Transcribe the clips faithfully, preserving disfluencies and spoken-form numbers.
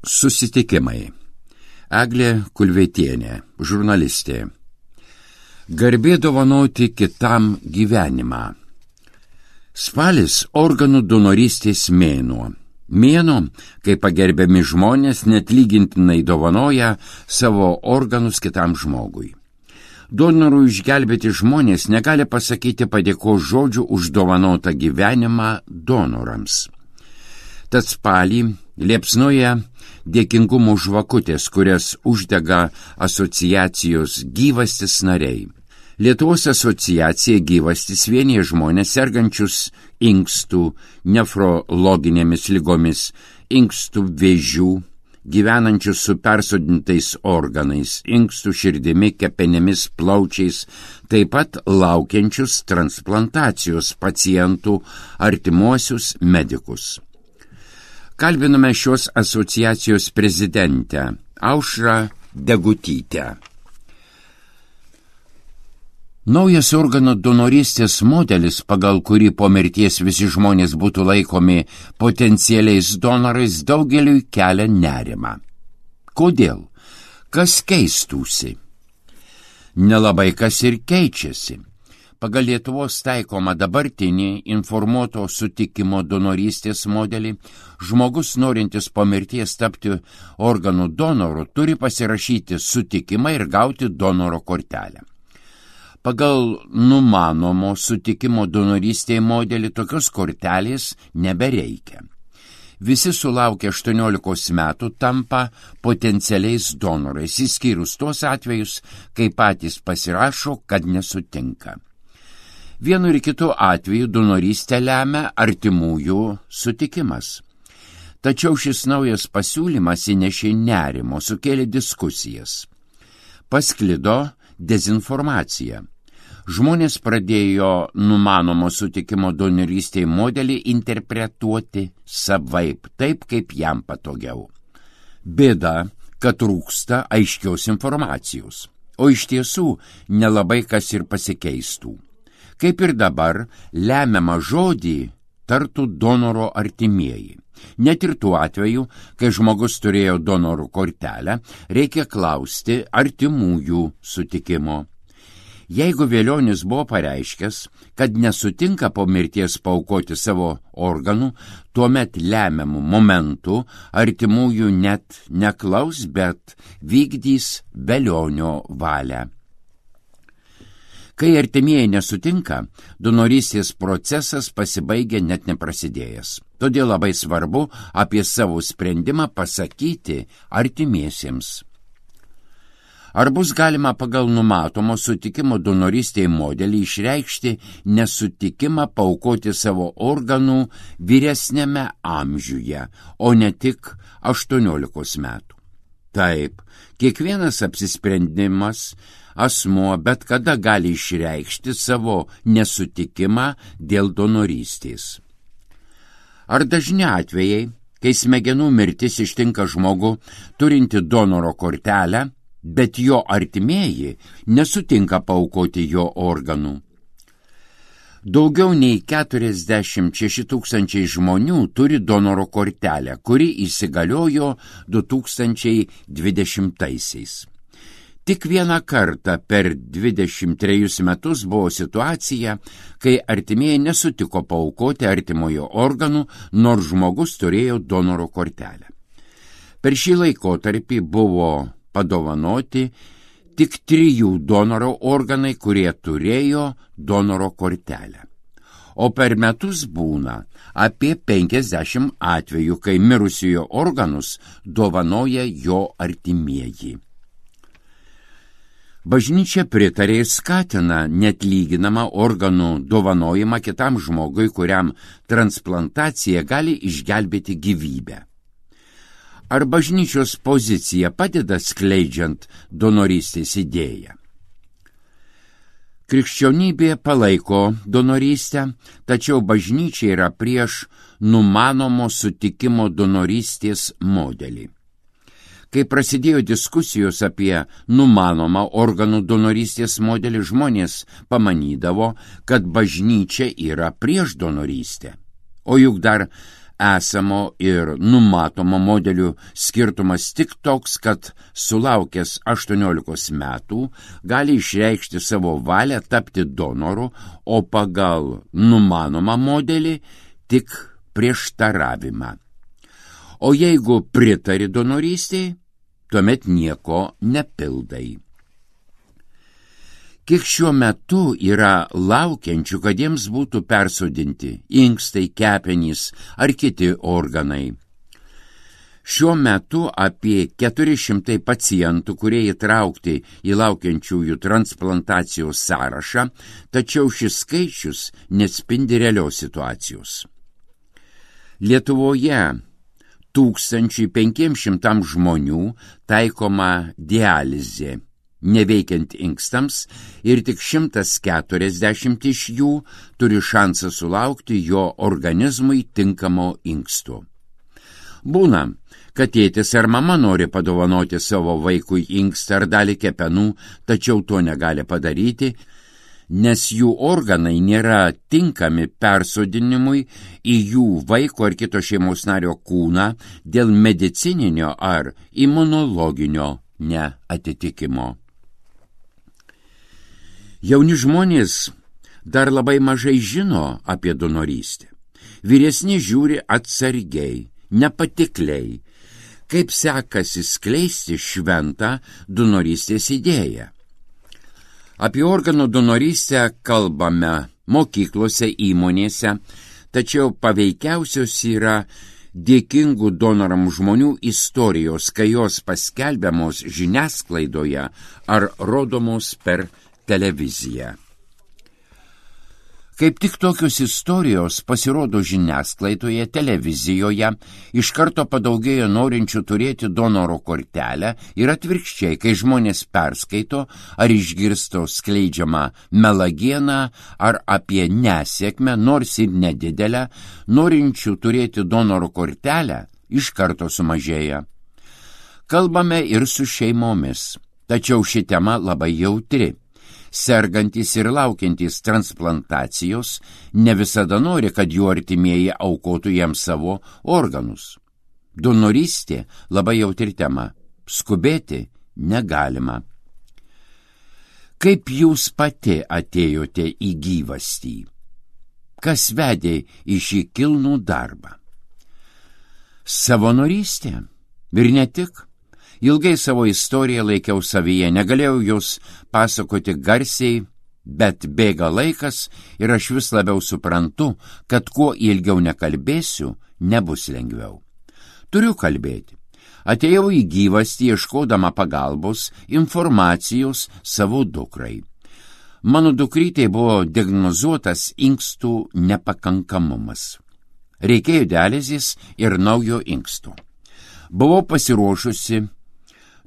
Susitikimai. Eglė Kulvietienė, žurnalistė. Garbė dovanoti kitam gyvenimą. Spalis organų donorystės mėnuo. Mėnuo, kai pagerbiami žmonės netlygintinai dovanoja savo organus kitam žmogui. Donorų išgelbėti žmonės negali pasakyti padėkos žodžių už dovanotą gyvenimą donorams. Tad spalį liepsnoja dėkingumo žvakutės, kurias uždega asociacijos Gyvastis nariai. Lietuvos asociacija Gyvastis vienija žmonės sergančius inkstų, nefrologinėmis ligomis, inkstų vėžių, gyvenančius su persodintais organais, inkstų širdimi, kepenimis, plaučiais, taip pat laukiančius transplantacijos pacientų artimuosius medikus. Kalbinome šios asociacijos prezidentę Aušrą Degutytę. Naujas organų donorystės modelis, pagal kurį po mirties visi žmonės būtų laikomi potencialiais donorais, daugeliui kelia nerimą. Kodėl? Kas keistųsi? Nelabai kas ir keičiasi. Pagal Lietuvos taikomą dabartinį informuoto sutikimo donorystės modelį, žmogus norintis po mirties tapti organų donoru turi pasirašyti sutikimą ir gauti donoro kortelę. Pagal numanomo sutikimo donorystėje modelį tokios kortelės nebereikia. Visi sulaukę aštuoniolikos metų tampa potencialiais donorais, išskyrus tuos atvejus, kai patys pasirašo, kad nesutinka. Vienu ir kitu atveju donorystę lemia artimųjų sutikimas. Tačiau šis naujas pasiūlymas įnešė nerimo, sukėlė diskusijas. Pasklido dezinformacija. Žmonės pradėjo numanomo sutikimo donorystėje modelį interpretuoti savaip, taip kaip jam patogiau. Bėda, kad trūksta aiškios informacijos, o iš tiesų nelabai kas ir pasikeistų. Kaip ir dabar, lemiamą žodį tartų donoro artimieji. Net ir tuo atveju, kai žmogus turėjo donoro kortelę, reikia klausti artimųjų sutikimo. Jeigu velionis buvo pareiškęs, kad nesutinka po mirties paaukoti savo organų, tuomet lemiamų momentų artimųjų net neklaus, bet vykdys velionio valią. Kai artimieji nesutinka, donorystės procesas pasibaigia net neprasidėjęs. Todėl labai svarbu apie savo sprendimą pasakyti artimiesiems. Ar bus galima pagal numatomo sutikimo donorystėje modelį išreikšti nesutikimą paaukoti savo organų vyresnėme amžiuje, o ne tik aštuoniolikos metų? Taip, kiekvienas apsisprendimas asmuo bet kada gali išreikšti savo nesutikimą dėl donorystės. Ar dažni atvejai, kai smegenų mirtis ištinka žmogų turinti donoro kortelę, bet jo artimieji nesutinka paaukoti jo organų? Daugiau nei keturiasdešimt šeši tūkstančiai žmonių turi donoro kortelę, kuri įsigaliojo du tūkstančiai dvidešimtaisiais. Tik vieną kartą per dvidešimt trejus metus buvo situacija, kai artimieji nesutiko paaukoti artimojo organų, nors žmogus turėjo donoro kortelę. Per šį laikotarpį buvo padovanoti tik trijų donoro organai, kurie turėjo donoro kortelę. O per metus būna apie penkiasdešimt atvejų, kai mirusiojo organus dovanoja jo artimieji. Bažnyčia pritarė ir skatina netlyginamą organų dovanojimą kitam žmogui, kuriam transplantacija gali išgelbėti gyvybę. Ar bažnyčios pozicija padeda skleidžiant donorystės idėją? Krikščionybė palaiko donorystę, tačiau bažnyčia yra prieš numanomo sutikimo donorystės modelį. Kai prasidėjo diskusijos apie numanomą organų donorystės modelį, žmonės pamanydavo, kad bažnyčia yra prieš donorystę. O juk dar esamo ir numatomo modelių skirtumas tik toks, kad sulaukęs aštuoniolikos metų gali išreikšti savo valią tapti donoru, o pagal numanomą modelį tik prieštaravimą. O jeigu pritari donorystei, tuomet nieko nepildai. Kiek šiuo metu yra laukiančių, kad jiems būtų persodinti inkstai, kepenys ar kiti organai? Šiuo metu apie keturi šimtai pacientų, kurie įtraukti į laukiančiųjų transplantacijos sąrašą, tačiau šis skaičius neatspindi realios situacijos. Lietuvoje tūkstančiui penkiems šimtams žmonių taikoma dializė, neveikiant inkstams, ir tik šimtas keturiasdešimt iš jų turi šansą sulaukti jo organizmui tinkamo inksto. Būna, kad tėtis ar mama nori padovanoti savo vaikui inkstą ar dalį kepenų, tačiau to negali padaryti, nes jų organai nėra tinkami persodinimui į jų vaiko ar kito šeimos nario kūną dėl medicininio ar imunologinio neatitikimo. Jauni žmonės dar labai mažai žino apie donorystę. Vyresni žiūri atsargiai, nepatikliai, kaip sekasi skleisti šventą donorystės idėją. Apie organų donorystę kalbame mokyklose, įmonėse, tačiau paveikiausios yra dėkingų donoram žmonių istorijos, kai jos paskelbiamos žiniasklaidoje ar rodomos per televiziją. Kaip tik tokios istorijos pasirodo žiniasklaidoje, televizijoje, iš karto padaugėjo norinčių turėti donoro kortelę ir atvirkščiai, kai žmonės perskaito ar išgirsto skleidžiamą melagieną ar apie nesėkmę, nors ir nedidelę, norinčių turėti donoro kortelę iš karto sumažėja. Kalbame ir su šeimomis, tačiau ši tema labai jautri. Sergantys ir laukiantys transplantacijos ne visada nori, kad jų artimieji aukotų jiems savo organus. Donorystė labai jautri tema. Skubėti negalima. Kaip jūs pati atėjote į gyvastį? Kas vedė į šį kilnų darbą? Savanorystė? Ir ne tik. Ilgai savo istoriją laikiau savyje, negalėjau jos pasakoti garsiai, bet bėga laikas ir aš vis labiau suprantu, kad kuo ilgiau nekalbėsiu, nebus lengviau. Turiu kalbėti. Atėjau į gyvastį ieškodama pagalbos, informacijos savo dukrai. Mano dukrytei buvo diagnozuotas inkstų nepakankamumas. Reikėjo dializės ir naujo inksto. Buvau pasiruošusi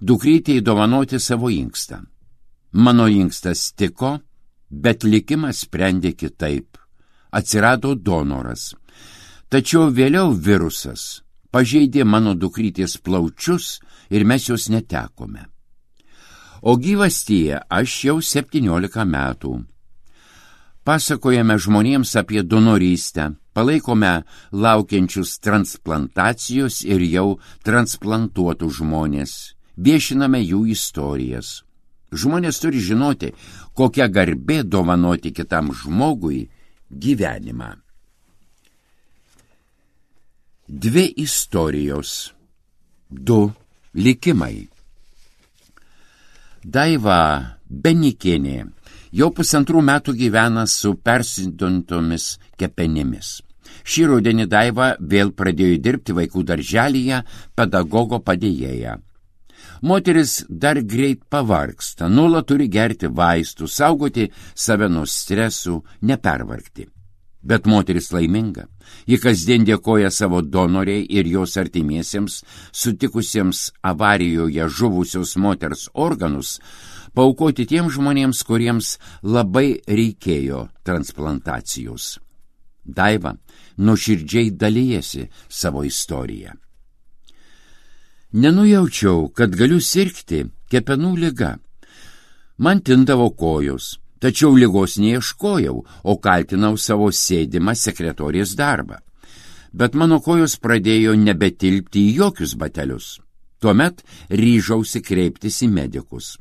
dukrytei dovanoti savo inkstą. Mano inkstas tiko, bet likimas sprendė kitaip. Atsirado donoras. Tačiau vėliau virusas pažeidė mano dukrytės plaučius ir mes jos netekome. O gyvastyje aš jau septyniolika metų. Pasakojame žmonėms apie donorystę, palaikome laukiančius transplantacijos ir jau transplantuotų žmonės. Viešiname jų istorijas. Žmonės turi žinoti, kokia garbė dovanoti kitam žmogui gyvenimą. Dvi istorijos, du likimai. Daiva Benikienė jau pusantrų metų gyvena su persidontomis kepenimis. Šį rudenį Daiva vėl pradėjo dirbti vaikų darželyje pedagogo padėjėja. Moteris dar greit pavargsta, nuolat turi gerti vaistų, saugoti save nuo stresų, nepervargti. Bet moteris laiminga. Ji kasdien dėkoja savo donoriai ir jos artimiesiems, sutikusiems avarijoje žuvusios moters organus, paaukoti tiems žmonėms, kuriems labai reikėjo transplantacijos. Daiva nuoširdžiai dalijasi savo istoriją. Nenujaučiau, kad galiu sirgti kepenų liga. Man tindavo kojos, tačiau ligos neieškojau, o kaltinau savo sėdimą sekretorės darbą. bet mano kojos pradėjo nebetilpti į jokius batelius. Tuomet ryžausi kreiptis į medikus.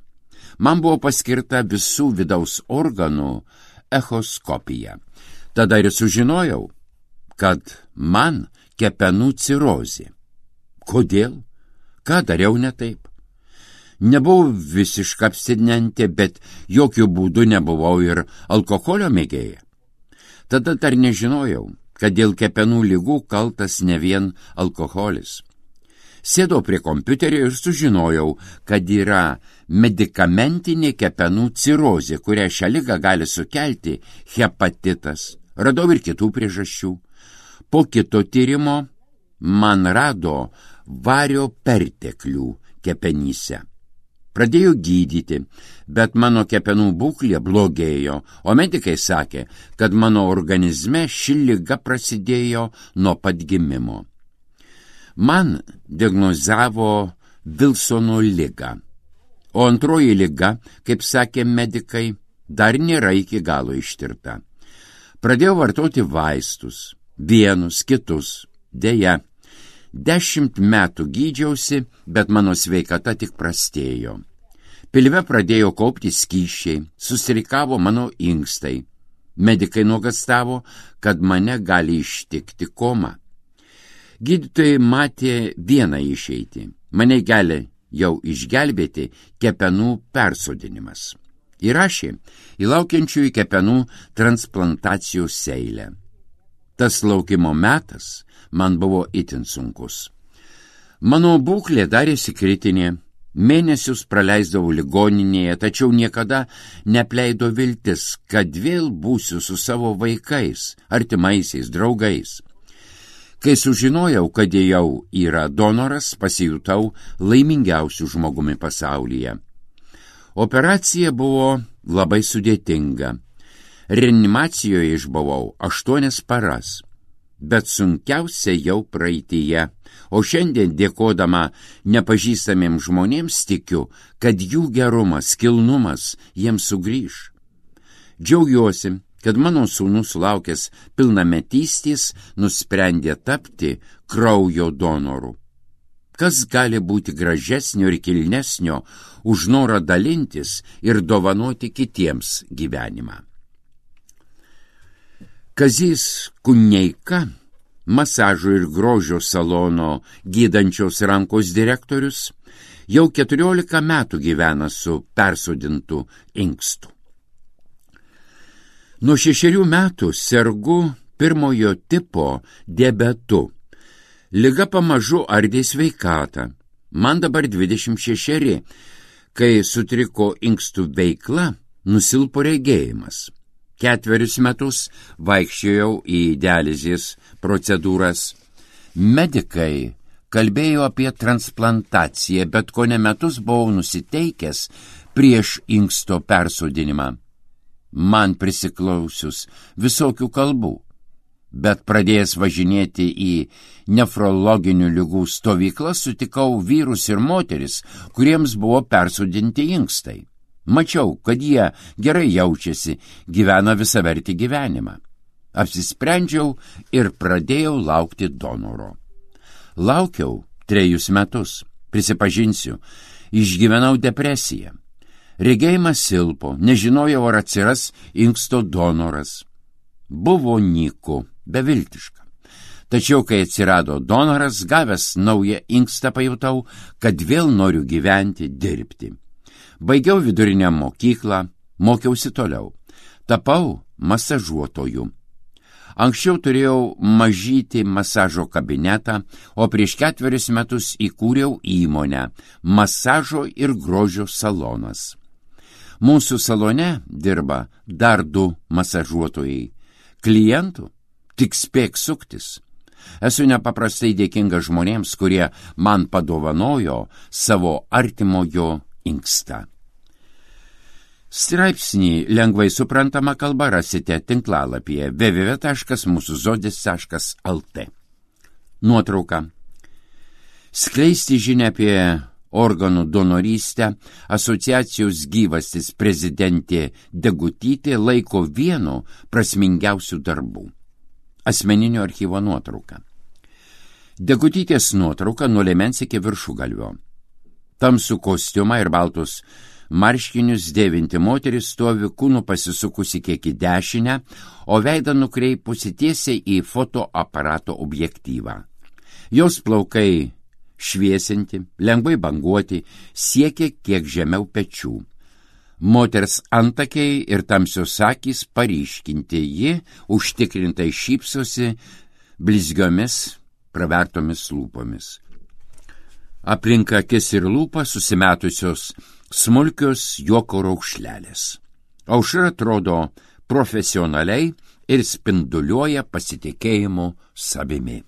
Man buvo paskirta visų vidaus organų echoskopija. Tada ir sužinojau, kad man kepenų cirozė. Kodėl? Ką dariau ne taip? Nebuvau visiška abstinentė, bet jokių būdų nebuvau ir alkoholio mėgėja. Tada dar nežinojau, kad dėl kepenų ligų kaltas ne vien alkoholis. Sėdau prie kompiuterio ir sužinojau, kad yra medikamentinė kepenų cirozė, kurią šią ligą gali sukelti hepatitas. Radau ir kitų priežasčių. Po kito tyrimo man rado vario perteklių kepenyse. Pradėjo gydyti, bet mano kepenų būklė blogėjo, o medikai sakė, kad mano organizme ši liga prasidėjo nuo pat gimimo. Man diagnozavo Vilsono ligą, o antroji liga, kaip sakė medikai, dar nėra iki galo ištirta. Pradėjau vartoti vaistus, vienus, kitus, deja. Dešimt metų gydžiausi, bet mano sveikata tik prastėjo. Pilve pradėjo kaupti skysčiai, susirikavo mano inkstai. Medikai nuogastavo, kad mane gali ištikti koma. Gydytojai matė vieną išeitį. Mane gali jau išgelbėti kepenų persodinimas. Įrašė į laukiančiųjų kepenų transplantacijos eilę. Tas laukimo metas man buvo itin sunkus. Mano būklė darėsi kritinė, mėnesius praleisdavau ligoninėje, tačiau niekada nepleido viltis, kad vėl būsiu su savo vaikais, artimaisiais, draugais. Kai sužinojau, kad jau yra donoras, pasijutau laimingiausiu žmogumi pasaulyje. Operacija buvo labai sudėtinga. Reanimacijoje išbuvau aštuonias paras, bet sunkiausia jau praeityje, o šiandien dėkodama nepažįstamiems žmonėms tikiu, kad jų gerumas, kilnumas jiems sugrįž. Džiaugiuosi, kad mano sūnus sulaukęs pilnametystės nusprendė tapti kraujo donoru. Kas gali būti gražesnio ir kilnesnio už norą dalintis ir dovanoti kitiems gyvenimą? Kazys Kuneika, masažo ir grožio salono gydančios rankos direktorius, jau keturiolika metų gyvena su persodintu inkstu. Nuo šešerių metų sergu pirmojo tipo diabetu. Liga pamažu ardė sveikatą. Man dabar dvidešimt šešeri, kai sutriko inkstų veikla, nusilpo regėjimas. Ketverius metus vaikščiojau į dializės procedūras. Medikai kalbėjo apie transplantaciją, bet kone metus buvau nusiteikęs prieš inksto persodinimą. Man prisiklausius visokių kalbų, bet pradėjęs važinėti į nefrologinių ligų stovyklą sutikau vyrus ir moteris, kuriems buvo persodinti inkstai. Mačiau, kad jie gerai jaučiasi, gyvena visavertį gyvenimą. Apsisprendžiau ir pradėjau laukti donoro. Laukiau trejus metus, prisipažinsiu, išgyvenau depresiją. Regėjimas silpo, nežinojau, ar atsiras inksto donoras. Buvo nyku, beviltiška. Tačiau, kai atsirado donoras, gavęs naują inkstą, pajutau, kad vėl noriu gyventi, dirbti. Baigiau vidurinę mokyklą, mokiausi toliau. Tapau masažuotoju. Anksčiau turėjau mažytį masažo kabinetą, o prieš ketverius metus įkūriau įmonę Masažo ir grožio salonas. Mūsų salone dirba dar du masažuotojai. Klientų tik spėk suktis. Esu nepaprastai dėkinga žmonėms, kurie man padovanojo savo artimojo inkstą. Straipsnį lengvai suprantama kalba rasite tinklalapyje w w w taškas mūsų žodis taškas l t. Nuotrauka. Skleisti žinią apie organų donorystę asociacijos gyvastis prezidentė Degutytė laiko vienu prasmingiausių darbų. Asmeninio archyvo nuotrauka. Degutytės nuotrauka nuo liemens iki viršugalvio. Tamsų kostiumą ir baltus marškinius dėvinti moteris stovi kūnu pasisukusi kiek į dešinę, o veidą nukreipusi tiesiai į fotoaparato objektyvą. Jos plaukai šviesinti, lengvai banguoti, siekia kiek žemiau pečių. Moters antakiai ir tamsios akys paryškinti, ji užtikrintai šypsosi blizgiomis pravertomis lūpomis. Aplink akis ir lūpą susimetusios smulkios juoko raukšlelės. Aušra atrodo profesionaliai ir spinduliuoja pasitikėjimu savimi.